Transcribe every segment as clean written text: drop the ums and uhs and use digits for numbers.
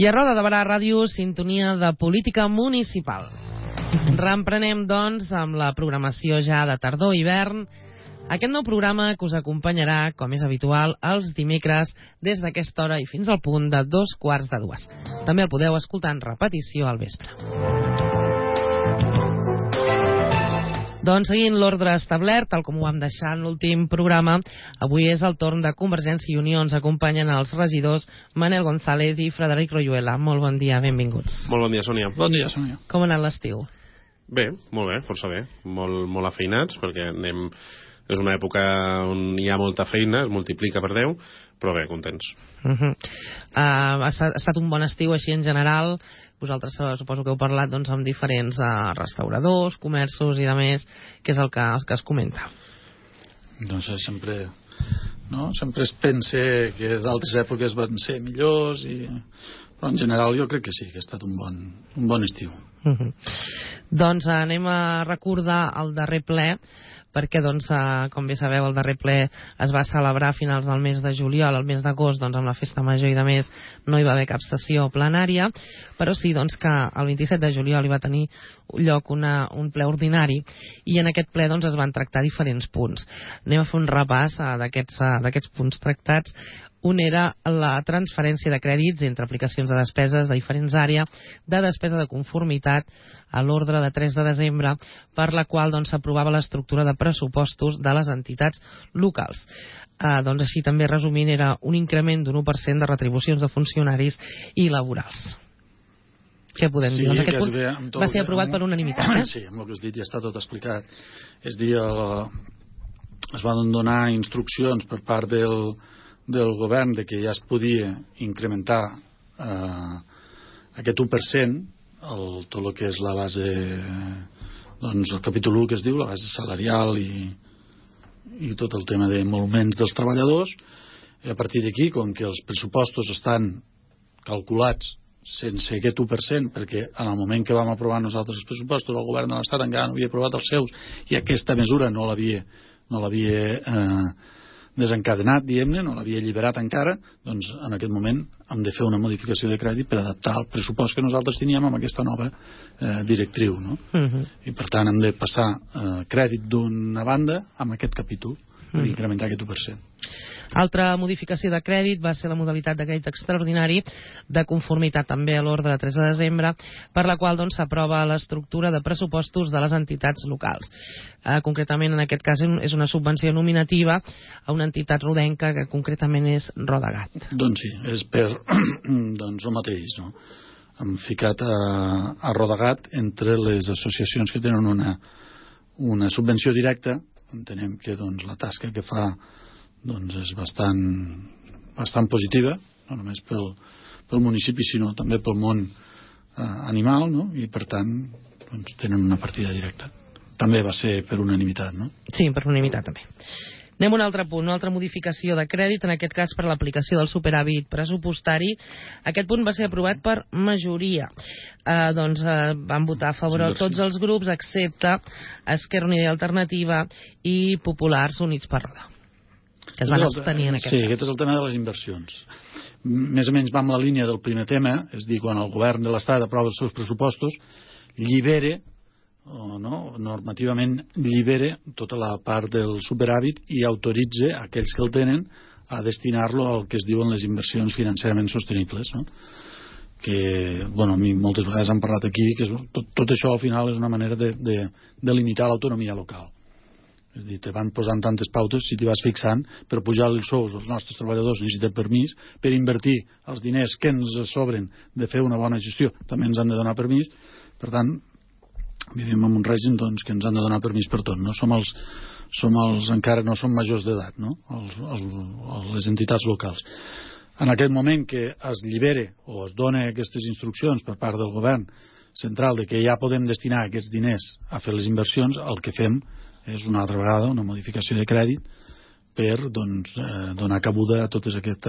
I a Roda de Barà Ràdio, sintonia de política municipal. Reemprenem, doncs, amb la programació ja de tardor-hivern. Aquest nou programa que us acompanyarà, com és habitual, els dimecres des d'aquesta hora i fins al punt de 2:15. També el podeu escoltar en repetició al vespre. Doncs seguint l'ordre establert, tal com ho vam deixar en l'últim programa, avui és el torn de Convergència i Unió. Ens acompanyen els regidors Manel González i Frederic Royuela. Molt bon dia, benvinguts. Molt bon dia, Sònia. Bon dia, Sònia. Com ha anat l'estiu? Bé, molt bé, força bé. Molt afeinats, perquè és una època on hi ha molta feina, es multiplica per 10, però bé, contents. Ha estat un bon estiu així en general. Vosaltres suposo que heu parlat doncs, amb diferents restauradors, comerços i demés. Què és el que es comenta? Doncs sempre es pensa que d'altres èpoques van ser millors, però en general jo crec que sí, que ha estat un bon estiu. Doncs anem a recordar el darrer ple, perquè, doncs, com bé sabeu, el darrer ple es va celebrar a finals del mes de juliol. Al mes d'agost, doncs, amb la festa major i de més, no hi va haver cap sessió plenària, però sí, doncs, que el 27 de juliol hi va tenir lloc un ple ordinari, i en aquest ple, doncs, es van tractar diferents punts. Anem a fer un repàs d'aquests punts tractats. Un era la transferència de crèdits entre aplicacions de despeses de diferents àrees de despesa de conformitat a l'ordre de 3 de desembre, per la qual s'aprovava l'estructura de pressupostos de les entitats locals. Doncs així també resumint era un increment d'un 1% de retribucions de funcionaris i laborals. Què podem dir? Doncs aquest punt va ser aprovat per unanimitat. Sí, amb el que has dit ja està tot explicat. És dir, es van donar instruccions per part del govern de que ja es podia incrementar aquest 1% tot el que és la base, doncs el capítol 1 que es diu, la base salarial i tot el tema d'emoluments dels treballadors. I a partir d'aquí, com que els pressupostos estan calculats sense aquest 1%, perquè en el moment que vam aprovar nosaltres els pressupostos el govern de l'Estat encara no havia aprovat els seus i aquesta mesura no l'havia desencadenat, diguem-ne, no l'havia alliberat encara, doncs en aquest moment hem de fer una modificació de crèdit per adaptar el pressupost que nosaltres teníem amb aquesta nova directriu, no? I per tant hem de passar crèdit d'una banda amb aquest capítol per incrementar aquest 1%. Altra modificació de crèdit va ser la modalitat de crèdit extraordinari de conformitat també a l'ordre de 3 de desembre, per la qual s'aprova l'estructura de pressupostos de les entitats locals. Concretament, en aquest cas, és una subvenció nominativa a una entitat rodenca que concretament és Rodagat. Doncs sí, és per el mateix, no? Hem ficat a Rodagat entre les associacions que tenen una subvenció directa. Entenem que la tasca que fa és bastant positiva, no només pel municipi sinó també pel món animal, no? I per tant tenen una partida directa. També va ser per unanimitat, no? Sí, per unanimitat també. Anem a un altre punt, una altra modificació de crèdit, en aquest cas per l'aplicació del superàvit pressupostari. Aquest punt va ser aprovat per majoria. Van votar a favor tots els grups excepte Esquerra Unida i Alternativa i Populars Units per Roda, que es van abstenir en aquest cas. Sí, aquest és el tema de les inversions. Més o menys va amb la línia del primer tema, és dir, quan el govern de l'Estat aprova els seus pressupostos, normativament llibera tota la part del superàvit i autoritza aquells que el tenen a destinar-lo al que es diuen les inversions financerament sostenibles, no? Que, a mi moltes vegades han parlat aquí que tot això al final és una manera de limitar l'autonomia local. És a dir, te van posant tantes pautes, si t'hi vas fixant, per pujar els sous als nostres treballadors necessiten permís, per invertir els diners que ens sobren de fer una bona gestió també ens han de donar permís. Per tant, vivim en un règim que ens han de donar permís per tot, no? Encara no som majors d'edat, no? Les entitats locals. En aquest moment que es llibere o es dona aquestes instruccions per part del govern central de que ja podem destinar aquests diners a fer les inversions, el que fem és una altra vegada una modificació de crèdit per donar cabuda a tot aquest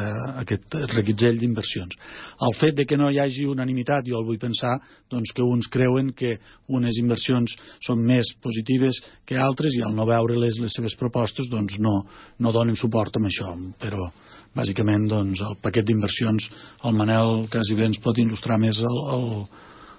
reguitzell d'inversions. El fet de que no hi hagi unanimitat, jo el vull pensar que uns creuen que unes inversions són més positives que altres i al no veure les seves propostes no donen suport amb això, però bàsicament el paquet d'inversions el Manel quasi bé ens pot il·lustrar més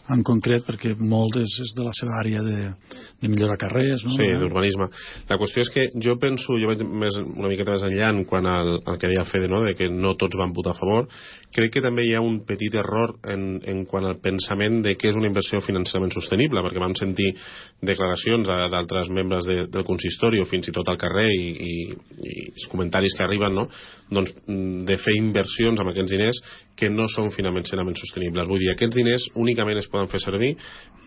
en concret, perquè molt és de la seva àrea de millorar carrers, no? Sí, d'urbanisme. La qüestió és que jo penso, jo vaig una miqueta més enllà en quant al que deia el Fede, no? De que no tots van votar a favor. Crec que també hi ha un petit error en quant al pensament de què és una inversió financerament sostenible, perquè vam sentir declaracions d'altres membres del consistori o fins i tot al carrer i comentaris que arriben, no? Doncs de fer inversions amb aquests diners que no són financerament sostenibles. Vull dir, aquests diners únicament es poden fer servir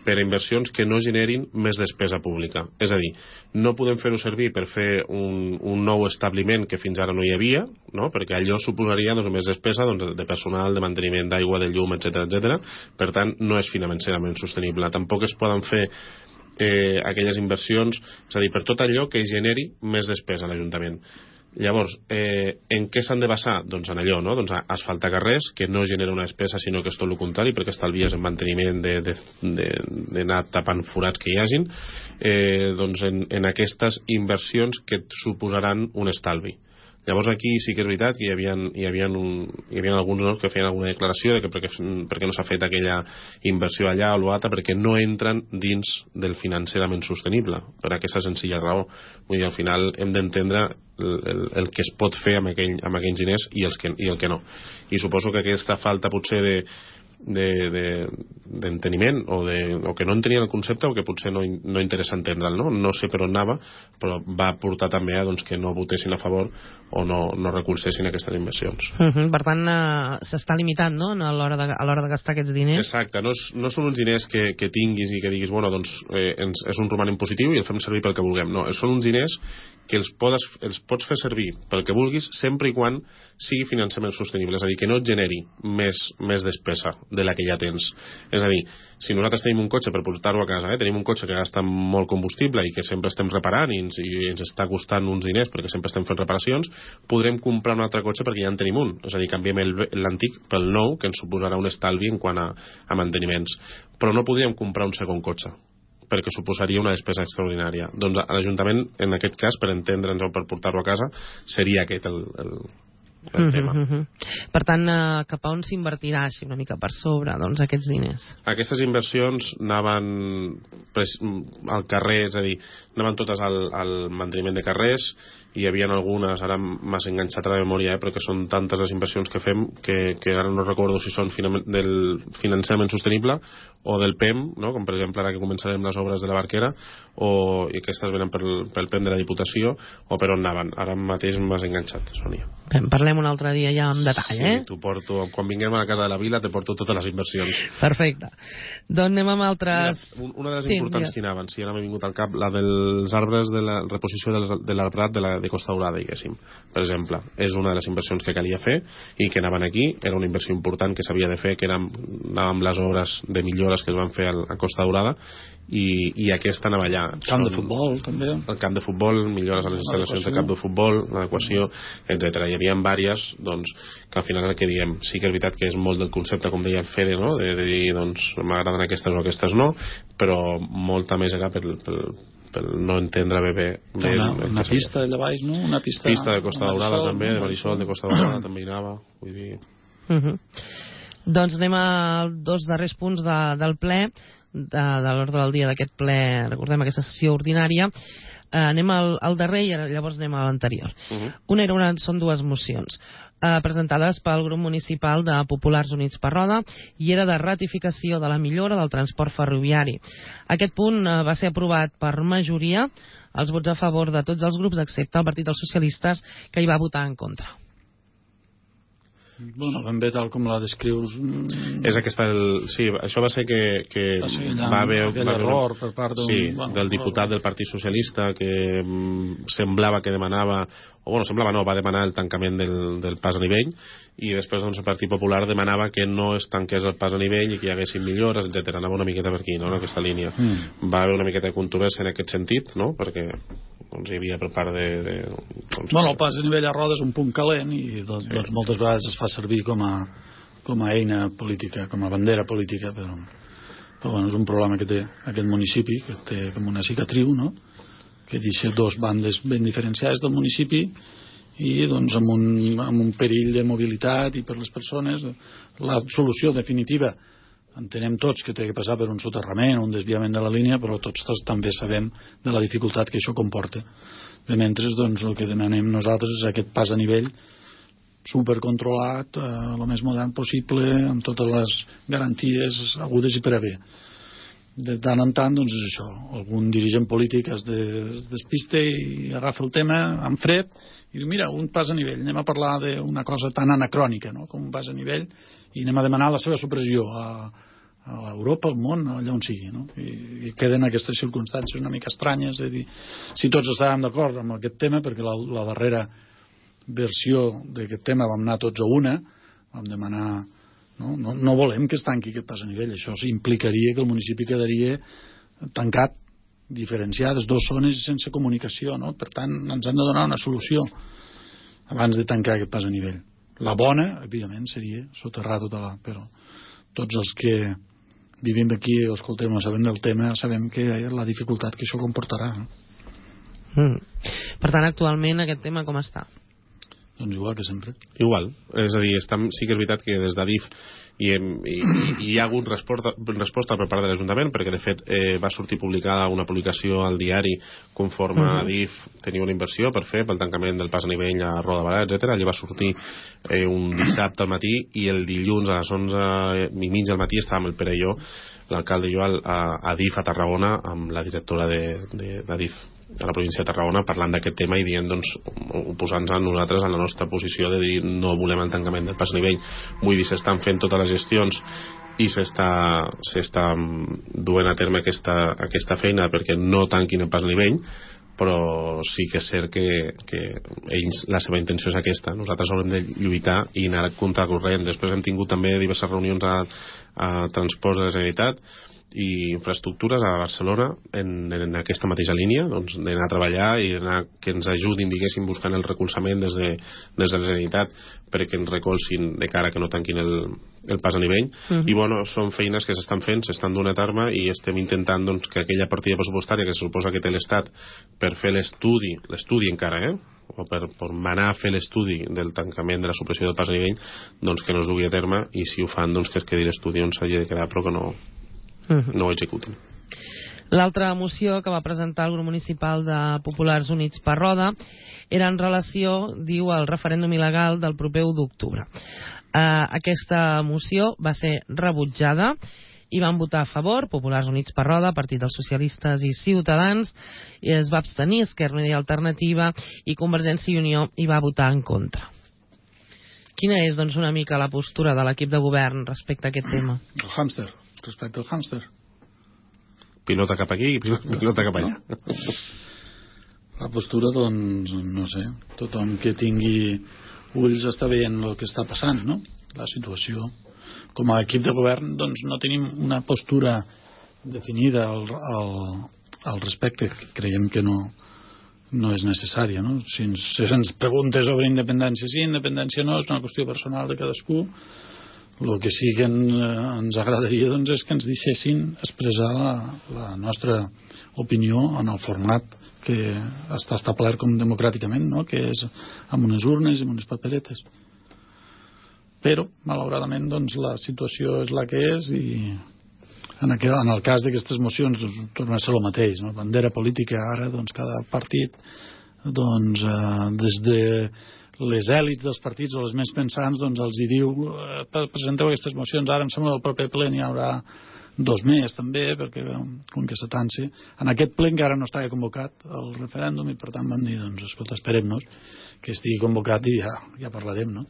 per a inversions que no generin més despesa pública. És a dir, no podem fer-ho servir per fer un nou establiment que fins ara no hi havia, no? Perquè allò suposaria més despesa de personal, de manteniment d'aigua, de llum, etc. Per tant, no és financerament sostenible. Tampoc es poden fer aquelles inversions, és a dir, per tot allò que generi més despesa a l'Ajuntament. Llavors, en què s'han de basar? Doncs en allò, no? Doncs a asfaltar carrers, que no genera una despesa, sinó que és tot el contrari, perquè estalvies en manteniment d'anar tapant forats que hi hagin, doncs en aquestes inversions que et suposaran un estalvi. Llavors aquí sí que és veritat que hi havia alguns que feien alguna declaració de que perquè no s'ha fet aquella inversió allà o l'altra, perquè no entren dins del financerament sostenible, per aquesta senzilla raó. Vull dir, al final hem d'entendre el que es pot fer amb aquells diners i el que no. I suposo que aquesta falta potser d'enteniment o que no entenien el concepte o que potser no interessa entendre'l, no sé per on anava, però va portar també a que no votessin a favor o no recolzessin aquestes inversions. Per tant, s'està limitant, no?, a l'hora de gastar aquests diners. Exacte, no són uns diners que tinguis i que diguis, bueno, doncs és un romanent positiu i el fem servir pel que vulguem. No, són uns diners que els pots fer servir pel que vulguis sempre i quan sigui finançament sostenible, és a dir, que no et generi més despesa de la que ja tens. És a dir, si nosaltres tenim un cotxe per portar-ho a casa, tenim un cotxe que gasta molt combustible i que sempre estem reparant i ens està costant uns diners perquè sempre estem fent reparacions, podrem comprar un altre cotxe perquè ja en tenim un. És a dir, canviem l'antic pel nou, que ens suposarà un estalvi en quant a manteniments. Però no podríem comprar un segon cotxe, perquè suposaria una despesa extraordinària. Doncs l'Ajuntament, en aquest cas, per entendre'ns o per portar-lo a casa, seria aquest el tema. Per tant, cap a on s'invertirà així una mica per sobre, doncs, aquests diners? Aquestes inversions anaven al carrer, és a dir, anaven totes al manteniment de carrers. Hi havia algunes, ara m'has enganxat a la memòria, però que són tantes les inversions que fem que ara no recordo si són del finançament sostenible o del PEM, no? Com per exemple ara que començarem les obres de la Barquera, i aquestes venen pel PEM de la Diputació, o per on anaven. Ara mateix m'has enganxat, Sònia. Parlem un altre dia ja en detall, sí, t'ho porto, quan vinguem a la Casa de la Vila te porto totes les inversions. Perfecte. Doncs anem amb altres... Una de les importants que anaven, si ara m'ha vingut al cap, la dels arbres de la reposició de l'arbrat de Costa Daurada, diguéssim, per exemple, és una de les inversions que calia fer i que anaven aquí, era una inversió important que s'havia de fer, que anàvem amb les obres de millores que es van fer a Costa Daurada, i aquesta anava allà. Camp de futbol, també. El camp de futbol, millores a les instal·lacions de camp de futbol, l'adequació, etc. Hi havia diverses, doncs, que al final el que diem, sí que és veritat que és molt del concepte, com deia el Fede, no? De dir, doncs, m'agraden aquestes o aquestes no, però molta més era per no entendre bé una pista allà baix, no? Una pista de Costa Daurada també, de Marisol de Costa Daurada també hi anava, vull dir... Doncs anem als dos darrers punts del ple, de l'ordre del dia d'aquest ple, recordem aquesta sessió ordinària. Anem al darrer i llavors anem a l'anterior. Són dues mocions presentades pel grup municipal de Populars Units per Roda i era de ratificació de la millora del transport ferroviari. Aquest punt va ser aprovat per majoria, els vots a favor de tots els grups excepte el Partit dels Socialistes, que hi va votar en contra. Bueno, ben bé tal com la descrius. És aquesta, sí, això va ser que va haver error per part del diputat del Partit Socialista que semblava que demanava, o bueno, semblava no, va demanar el tancament del pas a nivell, i després doncs, el Partit Popular demanava que no es tanqués el pas a nivell i que hi haguessin millores, etc. Anava una miqueta per aquí, no?, en aquesta línia. Va haver una miqueta de controvèrsia en aquest sentit, no?, perquè doncs, hi havia per part de el pas a nivell a roda és un punt calent i doncs moltes vegades es fa servir com a eina política, com a bandera política, però bueno, és un problema que té aquest municipi, que té com una cicatriu, no?, que deixa dos bandes ben diferenciades del municipi i doncs amb un perill de mobilitat i per les persones. La solució definitiva entenem tots que té que passar per un soterrament, un desviament de la línia, però tots també sabem de la dificultat que això comporta. De mentre, doncs, el que demanem nosaltres és aquest pas a nivell supercontrolat, el més modern possible, amb totes les garanties agudes i per haver. De tant en tant, doncs és això, algun dirigent polític es despiste i agafa el tema amb fred i diu, mira, un pas a nivell, anem a parlar d'una cosa tan anacrònica, no?, com un pas a nivell, i anem a demanar la seva supressió a Europa, al món, allà on sigui, no? I queden aquestes circumstàncies una mica estranyes de dir, si tots estàvem d'acord amb aquest tema, perquè la darrera versió d'aquest tema vam anar tots a una, vam demanar, no volem que es tanqui aquest pas a nivell, això implicaria que el municipi quedaria tancat, diferenciades, dues zones sense comunicació, no? Per tant, ens han de donar una solució abans de tancar aquest pas a nivell. La bona, evidentment, seria soterrar tota però tots els que vivim aquí o escoltem o sabem del tema sabem que la dificultat que això comportarà. Per tant, actualment aquest tema com està? Doncs igual que sempre. Igual, és a dir, sí que és veritat que des d'Adif hi ha hagut resposta per part de l'Ajuntament, perquè de fet va sortir publicada una publicació al diari conforme Adif tenia una inversió per fer pel tancament del pas a nivell a Roda de Barà, etc. Allí va sortir un dissabte al matí i el dilluns a les 11:30 del matí estàvem el Pere i jo, l'alcalde i jo a Adif a Tarragona amb la directora d'Adif a la província de Tarragona parlant d'aquest tema i dient, doncs, oposant-nos a nosaltres en la nostra posició de dir no volem el tancament del pas a nivell. Vull dir, s'estan fent totes les gestions i s'està duent a terme aquesta feina perquè no tanquin el pas a nivell, però sí que és cert que ells, la seva intenció és aquesta. Nosaltres haurem de lluitar i anar a compte corrent. Després hem tingut també diverses reunions a Transports de la Generalitat i Infraestructures a Barcelona en aquesta mateixa línia, doncs d'anar a treballar i d'anar que ens ajudin, diguéssim, buscant el recolzament des de la Generalitat perquè ens recolzin de cara que no tanquin el pas a nivell. I bueno, són feines que s'estan fent, s'estan donant a terme i estem intentant, doncs, que aquella partida pressupostària que se suposa que té l'Estat per fer l'estudi encara, o per manar a fer l'estudi del tancament de la supressió del pas a nivell, doncs que no es dugui a terme, i si ho fan, doncs que es quedi l'estudi on s'hagi de quedar però que no ho executin. L'altra moció que va presentar el grup municipal de Populars Units per Roda era en relació, diu, al referèndum il·legal del proper 1 d'octubre. Aquesta moció va ser rebutjada i van votar a favor Populars Units per Roda, Partit dels Socialistes i Ciutadans, i es va abstenir Esquerra Unida i Alternativa, i Convergència i Unió hi va votar en contra. Quina és, doncs, una mica la postura de l'equip de govern respecte a aquest tema? El hàmster, respecte al hàmster. Pilota cap aquí i pilota cap allà. La postura, doncs, no sé, tothom que tingui ulls està veient el que està passant, no? La situació. Com a equip de govern, doncs, no tenim una postura definida al respecte. Creiem que no és necessària, no? Si ens preguntes sobre independència sí, independència no, és una qüestió personal de cadascú. El que sí que ens agradaria, doncs, és que ens deixessin expressar la nostra opinió en el format que està establert com democràticament, no? Que és amb unes urnes i amb unes paperetes. Però, malauradament, doncs, la situació és la que és i en el cas d'aquestes mocions doncs, torna a ser el mateix, no? Bandera política ara, doncs, cada partit doncs, des de les èlits dels partits o les més pensants doncs els hi diu presenteu aquestes mocions, ara em sembla que el proper ple n'hi haurà 2 més també, perquè com que s'atansi en aquest ple encara no estava convocat el referèndum i per tant vam dir, doncs escolta, esperem-nos que estigui convocat i ja parlarem, no?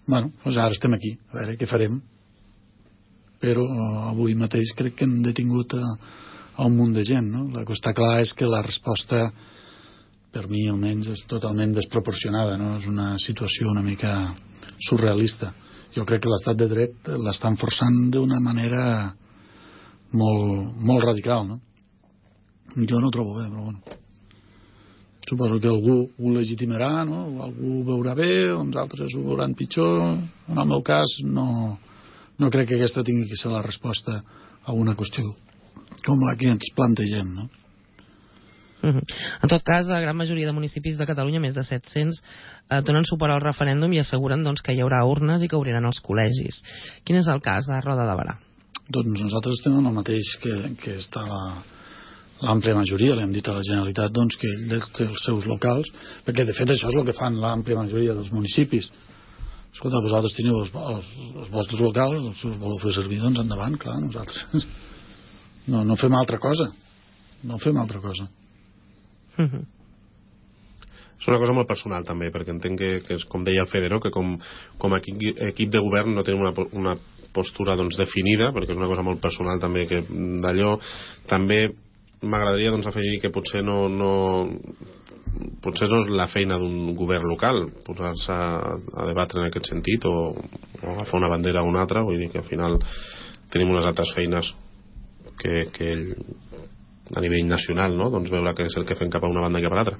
Bueno, doncs ara estem aquí, a veure què farem, però avui mateix crec que hem detingut a un munt de gent, no? El que està clar és que la resposta per mi almenys és totalment desproporcionada, no? És una situació una mica surrealista. Jo crec que l'estat de dret l'estan forçant d'una manera molt, molt radical, no? Jo no ho trobo bé, però bueno. suposo que algú ho legitimarà, no? Algú ho veurà bé, uns altres ho veuran pitjor. En el meu cas no crec que aquesta tingui que ser la resposta a una qüestió com la que ens plantegem, no? En tot cas, la gran majoria de municipis de Catalunya, més de 700, donen suport al referèndum i asseguren doncs, que hi haurà urnes i que obriran els col·legis. Quin és el cas de Roda de Berà? Doncs nosaltres estem en el mateix que està l'àmplia majoria. Li hem dit a la Generalitat doncs, que ell té els seus locals, perquè de fet això és el que fan l'àmplia majoria dels municipis. Escolta, vosaltres teniu els vostres locals, els voleu fer servir, doncs endavant, clar, nosaltres no fem altra cosa. No fem altra cosa. És una cosa molt personal també, perquè entenc que és com deia el Fede, no? Que com a equip de govern no tenim una postura doncs, definida, perquè és una cosa molt personal també, que d'allò també m'agradaria doncs, afegir que potser no és la feina d'un govern local posar-se a debatre en aquest sentit o agafar una bandera o una altra. Vull dir que al final tenim unes altres feines que a nivell nacional, no? Doncs veure què és el que fem cap a una banda i cap a l'altra.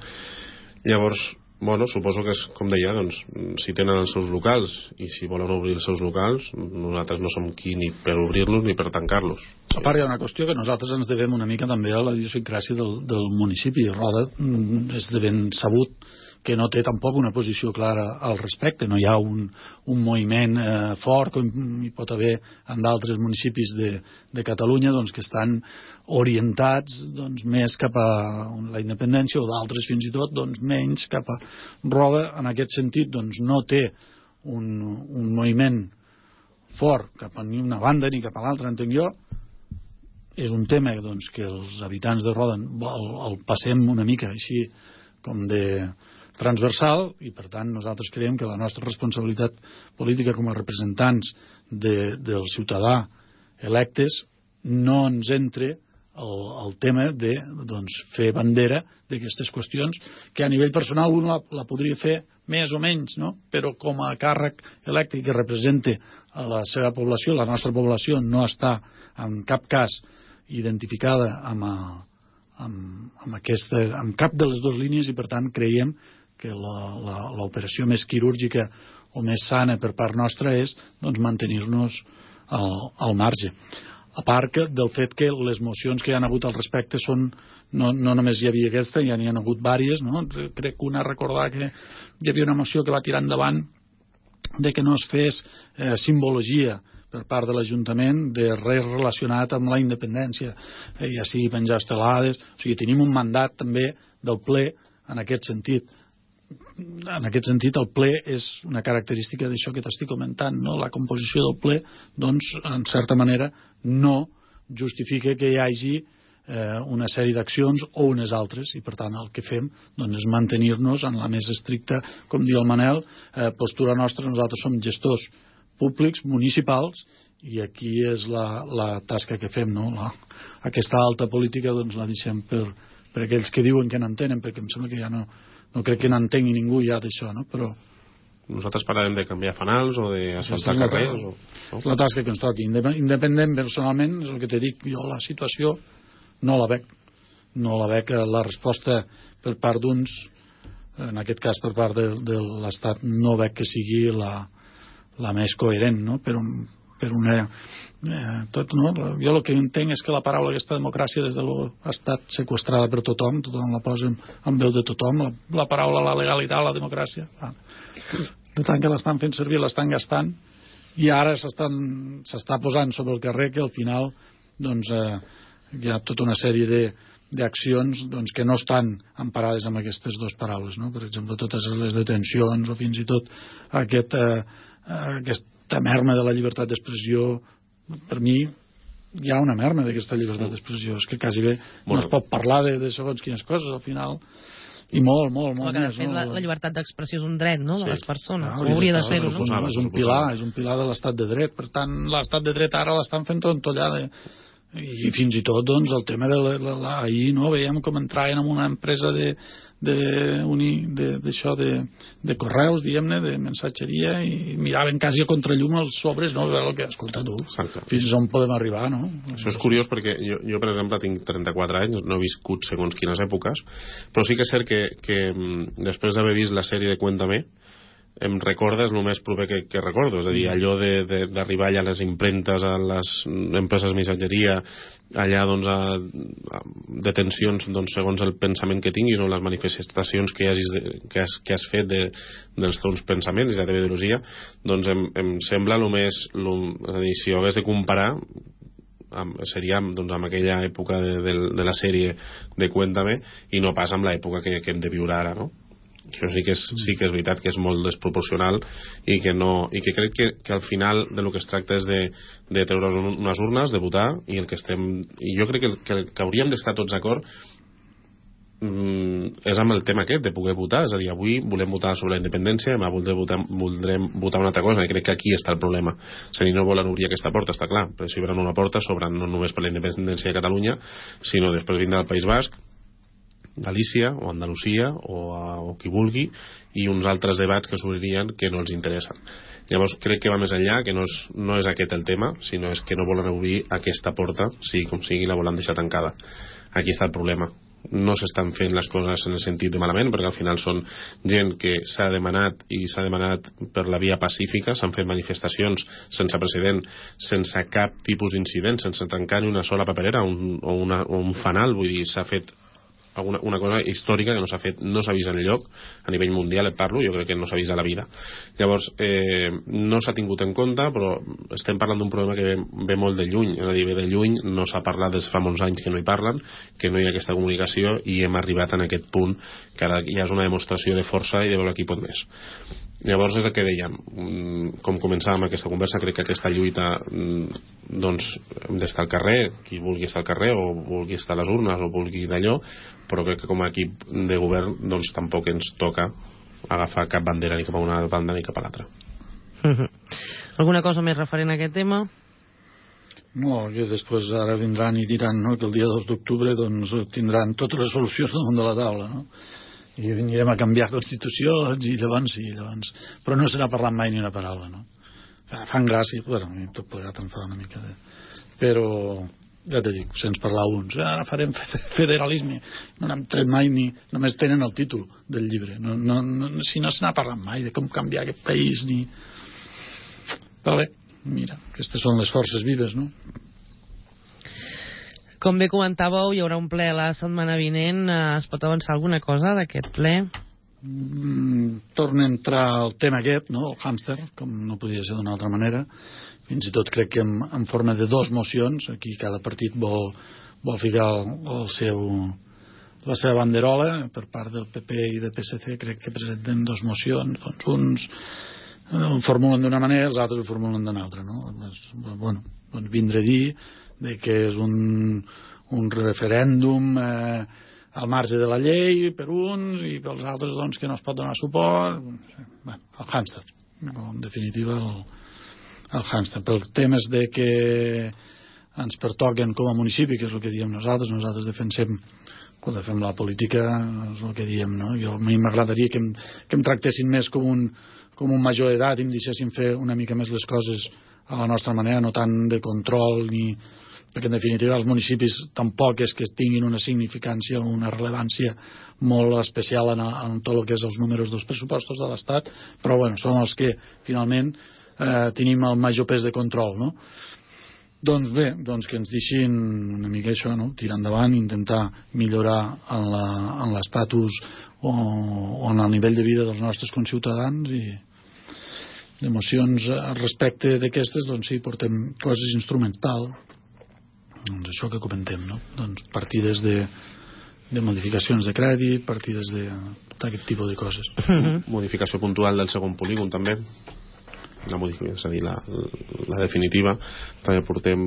Llavors, bueno, suposo que és, com deia, doncs, si tenen els seus locals i si volen obrir els seus locals, nosaltres no som qui ni per obrir-los ni per tancar-los. A part, hi ha una qüestió que nosaltres ens devem una mica també a la idiosincràsia del municipi. Roda és de ben sabut que no té tampoc una posició clara al respecte. No hi ha un moviment fort com hi pot haver en d'altres municipis de Catalunya doncs, que estan orientats doncs, més cap a la independència o d'altres fins i tot doncs, menys cap a Roda. En aquest sentit doncs, no té un moviment fort cap a ni una banda ni cap a l'altra, entenc jo. És un tema doncs, que els habitants de Roda el passem una mica així com de transversal i per tant nosaltres creiem que la nostra responsabilitat política com a representants del ciutadà electes no ens entre el tema de doncs, fer bandera d'aquestes qüestions que a nivell personal un la podria fer més o menys, no? Però com a càrrec electe que represente a la seva població, la nostra població no està en cap cas identificada amb cap de les dues línies i per tant creiem que l'operació més quirúrgica o més sana per part nostra és doncs, mantenir-nos al marge. A part del fet que les mocions que hi ha hagut al respecte són, no només hi havia aquesta, ja n'hi ha hagut vàries, no? Crec que una recordar que hi havia una moció que va tirar endavant de que no es fes simbologia per part de l'Ajuntament de res relacionat amb la independència, ja sigui penjar estelades, o sigui, tenim un mandat també del ple en aquest sentit. En aquest sentit el ple és una característica d'això que t'estic comentant, no? La composició del ple doncs en certa manera no justifica que hi hagi una sèrie d'accions o unes altres i per tant el que fem doncs, és mantenir-nos en la més estricta, com diu el Manel, postura nostra. Nosaltres som gestors públics, municipals i aquí és la tasca que fem, no? Aquesta alta política doncs la deixem per aquells que diuen que n'entenen, perquè em sembla que ja no crec que n'entengui ningú ja d'això, no? Però nosaltres parlarem de canviar fanals o d'asfaltar carrers no? És la tasca que ens toqui. Independent personalment, és el que t'he dit, jo la situació no la veig la resposta per part d'uns, en aquest cas per part de l'Estat, no veig que sigui la més coherent, no? Per una tot, no? Jo el que entenc és que la paraula aquesta democràcia des de ha estat seqüestrada per tothom la posa en veu de tothom, la paraula, la legalitat, la democràcia de tant que l'estan fent servir, l'estan gastant i ara s'està posant sobre el carrer que al final doncs hi ha tota una sèrie d'accions doncs, que no estan emparades amb aquestes dues paraules, no? Per exemple totes les detencions o fins i tot aquesta merma de la llibertat d'expressió. Per mi hi ha una merma d'aquesta llibertat d'expressió, és que quasi bé no es pot parlar de segons quines coses al final, i molt de fet, la llibertat d'expressió és un dret, no?, de les persones, hauria de ser-ho, no? És un pilar de l'estat de dret. Per tant, l'estat de dret ara l'estan fent trontollar i fins i tot doncs, el tema ahir no, veiem com entraven en una empresa d'això de correus, diguem-ne, de mensatgeria, i miraven quasi a contrallum els sobres, no? El que, escolta tu, fins on podem arribar, no? Això és curiós perquè jo per exemple tinc 34 anys, no he viscut segons quines èpoques, però sí que és cert que després d'haver vist la sèrie de Cuéntame em recorda, és el més proper que recordo, és a dir, allò d'arribar allà a les impremtes, a les empreses de missatgeria, allà doncs a detencions doncs, segons el pensament que tinguis o les manifestacions que has fet dels teus pensaments i la teva ideologia, doncs em sembla el més, és a dir, si ho hagués de comparar seria doncs, amb aquella època de la sèrie de Cuéntame i no pas amb l'època que hem de viure ara, no? Això sí que és veritat que és molt desproporcional i que crec que al final de lo que es tracta és de treure unes urnes, de votar, i jo crec que hauríem d'estar tots d'acord és amb el tema aquest de poder votar, és a dir, avui volem votar sobre la independència, demà voldrem votar una altra cosa, i crec que aquí està el problema. Si no volen obrir aquesta porta, està clar, però si obren una porta s'obren no només per la independència de Catalunya, sinó després vindrà el País Basc, Galícia o Andalusia o qui vulgui, i uns altres debats que s'obririen que no els interessen. Llavors crec que va més enllà, que no és aquest el tema, sinó és que no volen obrir aquesta porta, sigui com sigui, la volen deixar tancada. Aquí està el problema. No s'estan fent les coses en el sentit de malament, perquè al final són gent que s'ha demanat per la via pacífica, s'han fet manifestacions sense precedent, sense cap tipus d'incident, sense tancar ni una sola paperera o un fanal, vull dir, s'ha fet una cosa històrica que no s'ha fet, no s'ha vist enlloc a nivell mundial, et parlo, jo crec que no s'ha vist a la vida. Llavors no s'ha tingut en compte, però estem parlant d'un problema que ve molt de lluny, és a dir, ve de lluny, no s'ha parlat des fa molts anys que no hi parlen, que no hi ha aquesta comunicació, i hem arribat en aquest punt que ara ja és una demostració de força i de veure qui pot més. Llavors és el que dèiem, com començàvem aquesta conversa, crec que aquesta lluita doncs hem d'estar al carrer, qui vulgui estar al carrer o vulgui estar a les urnes o vulgui d'allò, però crec que com a equip de govern doncs tampoc ens toca agafar cap bandera ni cap a una banda ni cap a l'altra. Alguna cosa més referent a aquest tema? No, que després ara vindran i diran, no, que el dia 2 d'octubre doncs tindran totes les solucions damunt de la taula, no? I venirem a canviar constitucions i llavors però no se n'ha parlat mai ni una paraula, no? Fan gràcia, bueno, tot plegat em fa una mica però ja te dic, sense parlar uns ara farem federalisme, no n'hem tret mai ni, només tenen el títol del llibre, si no se n'ha parlat mai de com canviar aquest país ni... però bé, mira, aquestes són les forces vives, no? Com bé comentàveu, hi haurà un ple la setmana vinent. Es pot avançar alguna cosa d'aquest ple? Torna a entrar el tema aquest, no? El hàmster, com no podia ser d'una altra manera. Fins i tot crec que en forma de 2 mocions. Aquí cada partit vol ficar la seva banderola. Per part del PP i del PSC crec que presenten 2 mocions. Doncs uns ho formulen d'una manera, els altres ho formulen d'una altra, no? Bueno, doncs vindré a dir de que és un referèndum al marge de la llei per uns i pels altres doncs, que no es pot donar suport. Bueno, el hàmster, en definitiva el hàmster. Pel temes de que ens pertoquen com a municipi, que és el que diem nosaltres defensem quan fem la política, és el que diem, no? A mi m'agradaria que em tractessin més com un major d'edat i em deixessin fer una mica més les coses a la nostra manera, no tant de control perquè en definitiva els municipis tampoc és que tinguin una significància o una rellevància molt especial en tot el que és els números dels pressupostos de l'Estat, però bueno, són els que finalment tenim el major pes de control, no? Doncs bé, que ens deixin una mica això, no? Tirar endavant, intentar millorar en l'estatus o en el nivell de vida dels nostres conciutadans i d'emocions respecte d'aquestes, doncs sí, portem coses instrumentals, doncs això que comentem, no? Doncs partides de modificacions de crèdit, partides d'aquest tipus de coses. Modificació puntual del segon polígon també, és a dir, la definitiva. També portem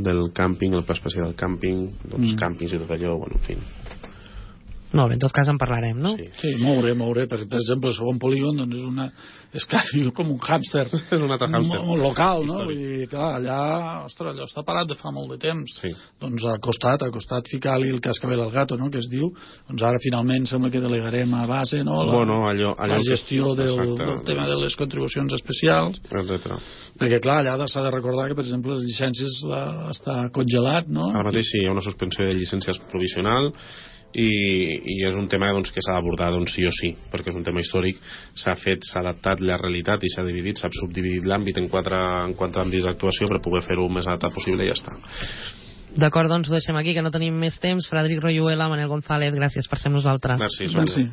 del càmping, el pla especial del càmping, dels càmpings i tot allò, bueno, en fi, Molt bé, en tot cas en parlarem, no? Sí, moure, perquè per exemple el segon polígon doncs és quasi com un hàmster. És un altre hàmster. Local, no? Vull dir, clar, allà, ostres, allò està parat de fa molt de temps. Sí. Doncs al costat ficar-li el cascabel al gato, no?, que es diu. Doncs ara finalment sembla que delegarem a base, no?, la gestió del tema de les contribucions especials. Etcètera. Perquè clar, allà s'ha de recordar que per exemple les llicències està congelat, no? Ara mateix sí, hi ha una suspensió de llicències provisional i és un tema doncs, que s'ha d'abordar doncs, sí o sí, perquè és un tema històric, s'ha adaptat la realitat i s'ha dividit, s'ha subdividit l'àmbit en quatre àmbits d'actuació per poder fer-ho el més adaptat possible i ja està. D'acord, doncs ho deixem aquí, que no tenim més temps. Frederic Royuela, Manel González, gràcies per ser amb nosaltres. Merci.